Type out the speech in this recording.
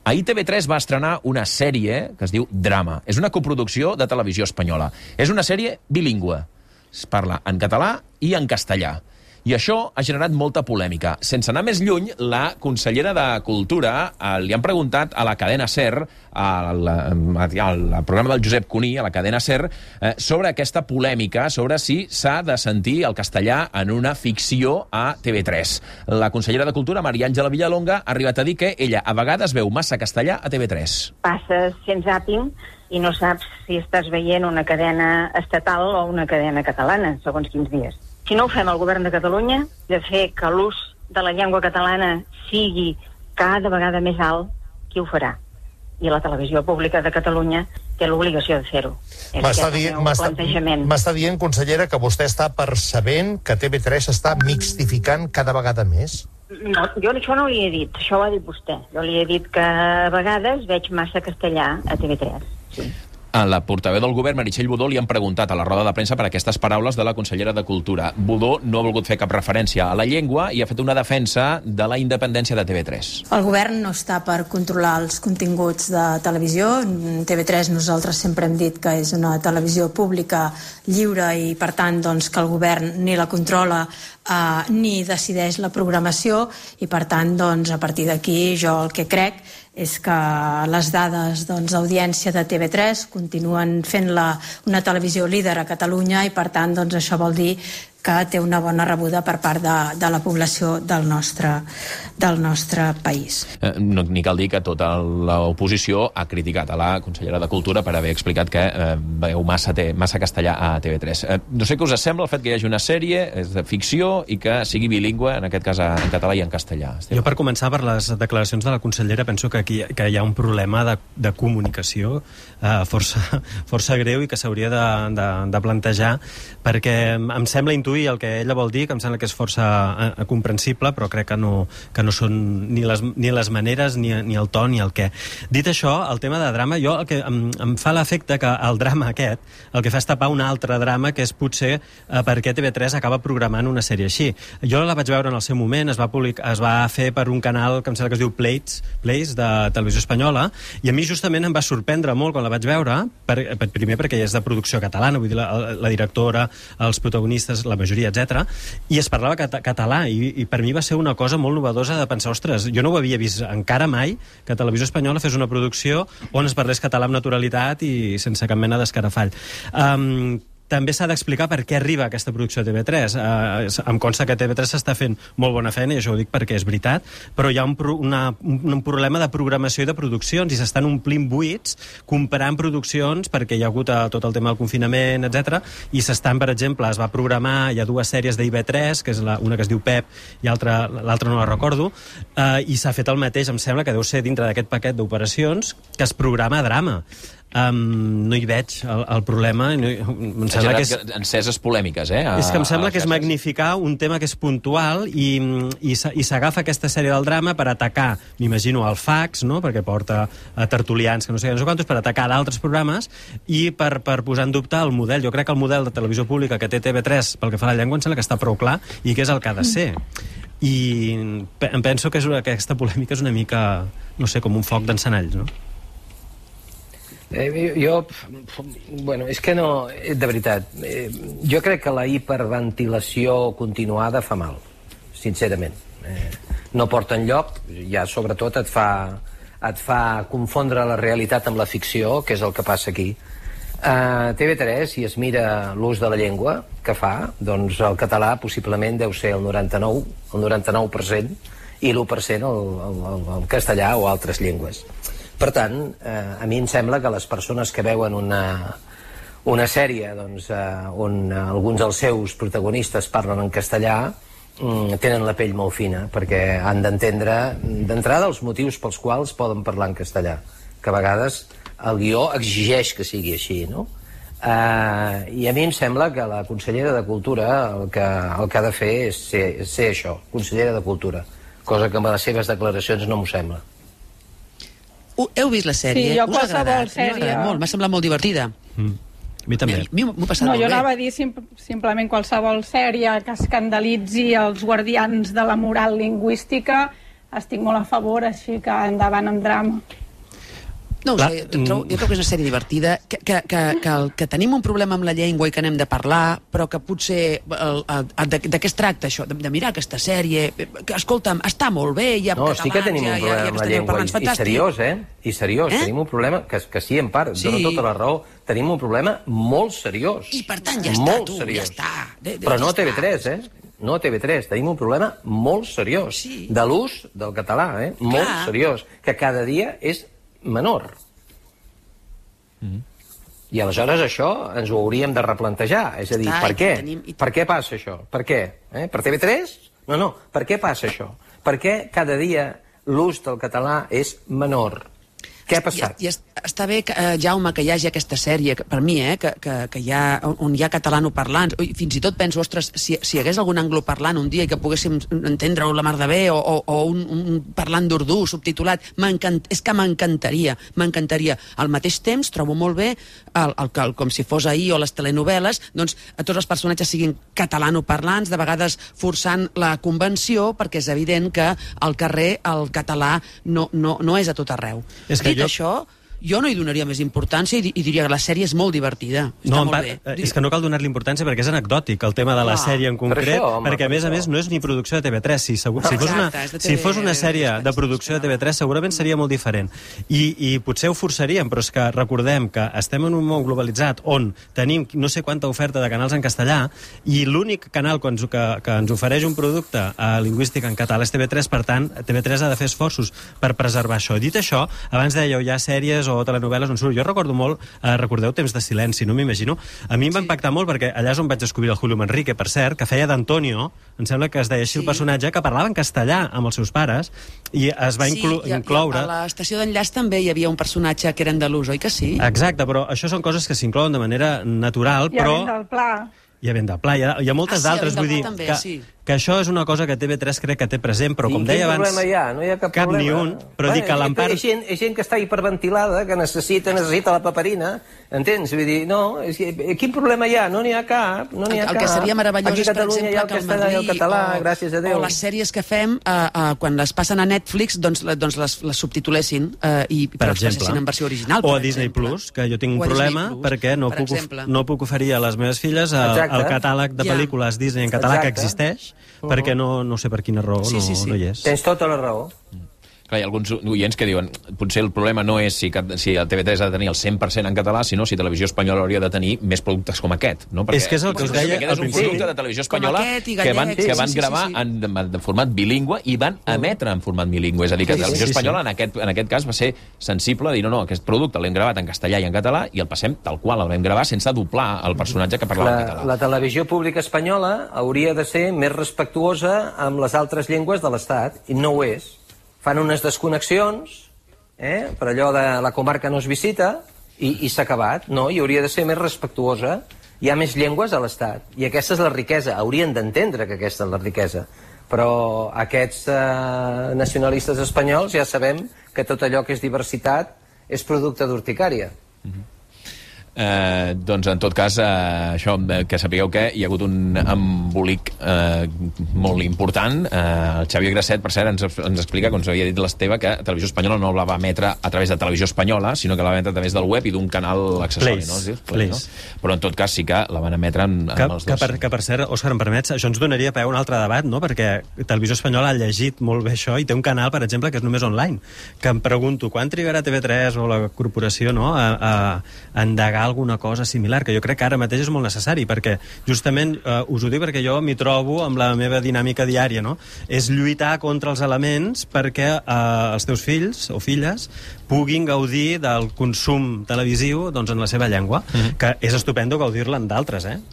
Ahir TV3 va estrenar una sèrie que es diu Drama. És una coproducció de Televisió Espanyola. És una sèrie bilingüe. Es parla en català i en castellà. I això ha generat molta polèmica. Sense anar més lluny, la consellera de Cultura li han preguntat a la cadena SER, al programa del Josep Cuní, a la cadena SER, sobre aquesta polèmica, sobre si s'ha de sentir el castellà en una ficció a TV3. La consellera de Cultura, Maria Àngela Villalonga, ha arribat a dir que ella a vegades veu massa castellà a TV3. Passes fent zàping i no saps si estàs veient una cadena estatal o una cadena catalana, segons quins dies. Si no ho fem al govern de Catalunya, de fer que l'ús de la llengua catalana sigui cada vegada més alt, qui ho farà? I la televisió pública de Catalunya té l'obligació de fer-ho. M'està dient, consellera, que vostè està percebent que TV3 està mixtificant cada vegada més? No, jo això no li he dit, això ho ha dit vostè. Jo li he dit que a vegades veig massa castellà a TV3, sí. A la portaveu del govern, Meritxell Budó, li han preguntat a la roda de premsa per aquestes paraules de la consellera de Cultura. Budó no ha volgut fer cap referència a la llengua i ha fet una defensa de la independència de TV3. El govern no està per controlar els continguts de televisió. TV3 nosaltres sempre hem dit que és una televisió pública lliure i, per tant, doncs, que el govern ni la controla ni decideix la programació i, per tant, doncs, a partir d'aquí jo el que crec és que les dades d'audiència de TV3 continuen fent-la una televisió líder a Catalunya i, per tant, doncs, això vol dir que té una bona rebuda per part de la població del nostre país. Ni cal dir que tota l'oposició ha criticat a la consellera de Cultura per haver explicat que veieu massa castellà a TV3. No sé què us sembla el fet que hi hagi una sèrie, és de ficció, i que sigui bilingüe, en aquest cas en català i en castellà. Jo, per començar, per les declaracions de la consellera, penso que aquí hi ha un problema de comunicació força greu i que s'hauria de plantejar, perquè em sembla intuir el que ella vol dir, que em sembla que és força comprensible, però crec que no són ni les maneres, ni el to, ni el què. Dit això, el tema de drama, jo el que em fa l'efecte que el drama aquest, el que fa és tapar un altre drama, que és potser per què TV3 acaba programant una sèrie així. Jo la vaig veure en el seu moment, es va fer per un canal que em sembla que es diu Plays, de Televisió Espanyola, i a mi justament em va sorprendre molt quan la vaig veure, primer perquè és de producció catalana, vull dir, la directora, els protagonistes, la majoria, etc. I es parlava català, i per mi va ser una cosa molt novedosa de pensar, ostres, jo no ho havia vist encara mai que Televisió Espanyola fes una producció on es parlés català amb naturalitat i sense cap mena d'escarafall. També s'ha d'explicar per què arriba aquesta producció a TV3. Em consta que TV3 s'està fent molt bona feina, i això ho dic perquè és veritat, però hi ha un problema de programació i de produccions, i s'estan omplint buits comprant produccions perquè hi ha hagut tot el tema del confinament, etc. I s'estan, per exemple, es va programar, hi ha dues sèries d'IV3, que és una que es diu Pep i l'altra no la recordo, i s'ha fet el mateix, em sembla que deu ser dintre d'aquest paquet d'operacions que es programa drama. No hi veig el problema. Em sembla que és enceses polèmiques, és que em sembla que és magnificar un tema que és puntual i s'agafa aquesta sèrie del drama per atacar, m'imagino, el fax, no? Perquè porta tertulians que no sé quantos, per atacar d'altres programes i per posar en dubte el model. Jo crec que el model de televisió pública que té TV3 pel que fa a la llengua em sembla que està prou clar i que és el que ha de ser. I em penso que aquesta polèmica és una mica, no sé, com un foc d'encenalls, no? És que no, de veritat, jo crec que la hiperventilació continuada fa mal, sincerament. No porta enlloc, ja sobretot et fa confondre la realitat amb la ficció, que és el que passa aquí. TV3, si es mira l'ús de la llengua que fa, doncs el català possiblement deu ser el 99% i l'1% el castellà o altres llengües. Per tant, a mi em sembla que les persones que veuen una sèrie on alguns dels seus protagonistes parlen en castellà tenen la pell molt fina, perquè han d'entendre d'entrada els motius pels quals poden parlar en castellà, que a vegades el guió exigeix que sigui així, no? I a mi em sembla que la consellera de Cultura el que ha de fer és ser això, consellera de Cultura, cosa que amb les seves declaracions no m'ho sembla. Heu vist la sèrie? Sí, jo qualsevol sèrie. M'ha semblat molt divertida. A mi també. M'ho he passat molt bé. Jo anava a dir simplement qualsevol sèrie que escandalitzi els guardians de la moral lingüística, estic molt a favor, així que endavant amb drama. No ho sé, jo crec que és una sèrie divertida, que tenim un problema amb la llengua i que n'hem de parlar, però que potser de què es tracta això? De mirar aquesta sèrie, que, escolta'm, està molt bé, hi ha catalans, sí que tenim un problema amb la llengua, i seriós, I seriós, tenim un problema, que sí, en part, dona tota la raó, tenim un problema molt seriós. I per tant, ja està, tu, ja està. Però no a TV3, no a TV3, tenim un problema molt seriós, de l'ús del català, molt seriós, que cada dia és menor. I aleshores això ens ho hauríem de replantejar. És a dir, per què? Per què passa això? Per què? Per TV3? No, per què passa això? Per què cada dia l'ús del català és menor? Què ha passat? Està bé, Jaume, que hi hagi aquesta sèrie, per mi, que hi ha, on hi ha catalanoparlants. Fins i tot penso, ostres, si hi hagués algun angloparlant un dia i que poguéssim entendre-ho la mar de bé, o un parlant d'urdú subtitulat, és que m'encantaria. Al mateix temps, trobo molt bé, com si fos ahir o les telenovel·les, doncs tots els personatges siguin catalanoparlants, de vegades forçant la convenció, perquè és evident que al carrer el català no és a tot arreu. Dit això, jo no hi donaria més importància i diria que la sèrie és molt divertida. Està molt bé. És que no cal donar-li importància perquè és anecdòtic el tema de la sèrie en concret, perquè a més no és ni producció de TV3. Si fos una sèrie de producció de TV3 segurament seria molt diferent. I potser ho forçaríem, però és que recordem que estem en un món globalitzat on tenim no sé quanta oferta de canals en castellà i l'únic canal que ens ofereix un producte lingüístic en català és TV3, per tant, TV3 ha de fer esforços per preservar això. Dit això, abans dèieu, hi ha sèries o telenovel·les on surt. Jo recordo molt, recordeu Temps de silenci, no m'imagino. A mi em va impactar molt perquè allà és on vaig descobrir el Julio Manrique, per cert, que feia d'Antonio, em sembla que es deia així el personatge, que parlava en castellà amb els seus pares i es va incloure... A l'estació d'enllaç també hi havia un personatge que era andalús, oi que sí? Exacte, però això són coses que s'inclouen de manera natural, però... I a Vent del Pla. I a Vent del Pla, hi ha moltes d'altres, vull dir que això és una cosa que TV3 crec que té present, però com deia abans... Quin problema hi ha? No hi ha cap problema. Ni un, però dic que l'empart... És gent que està hiperventilada, que necessita la paperina, entens? Vull dir, no, quin problema hi ha? No n'hi ha cap, no n'hi ha cap. El que seria meravellós és, per exemple, que el Madrid o les sèries que fem, quan les passen a Netflix, doncs les subtitulessin i per les passessin en versió original. O a Disney Plus, que jo tinc un problema perquè no puc oferir a les meves filles el catàleg de pel·lícules Disney en català que existeix, perquè no sé per quina raó no hi és. Tens tota la raó. Clar, hi ha alguns oients que diuen potser el problema no és si el TV3 ha de tenir el 100% en català, sinó si Televisió Espanyola hauria de tenir més productes com aquest. No? És que és el que us deia al principi. És un producte de Televisió Espanyola que van gravar en format bilingüe i van emetre en format bilingüe. És a dir, que Televisió Espanyola en aquest cas va ser sensible a dir no, aquest producte l'hem gravat en castellà i en català i el passem tal qual, el vam gravar sense doblar el personatge que parlava en català. La televisió pública espanyola hauria de ser més respectuosa amb les altres llengües de l'Estat, i no ho és. Fan unes desconnexions, per allò de la comarca no es visita, i s'ha acabat. No, i hauria de ser més respectuosa. Hi ha més llengües a l'Estat, i aquesta és la riquesa. Haurien d'entendre que aquesta és la riquesa. Però aquests nacionalistes espanyols ja sabem que tot allò que és diversitat és producte d'urticària. Doncs en tot cas això, que sapigueu que hi ha hagut un embolic molt important. El Xavier Grasset, per cert, ens explica, com s'havia dit l'Esteve, que Televisió Espanyola no la va emetre a través de Televisió Espanyola, sinó que la va emetre a través del web i d'un canal accessori, Play. No? Però en tot cas sí que la van emetre amb els dos. Que per cert, Òscar, em permets, això ens donaria peu a un altre debat, no? Perquè Televisió Espanyola ha llegit molt bé això i té un canal, per exemple, que és només online, que em pregunto quan trigarà TV3 o la corporació, no?, a endegar alguna cosa similar, que jo crec que ara mateix és molt necessari, perquè justament us ho dic perquè jo m'hi trobo amb la meva dinàmica diària, no? És lluitar contra els elements perquè els teus fills o filles puguin gaudir del consum televisiu, doncs, en la seva llengua, que és estupendo gaudir-la en d'altres,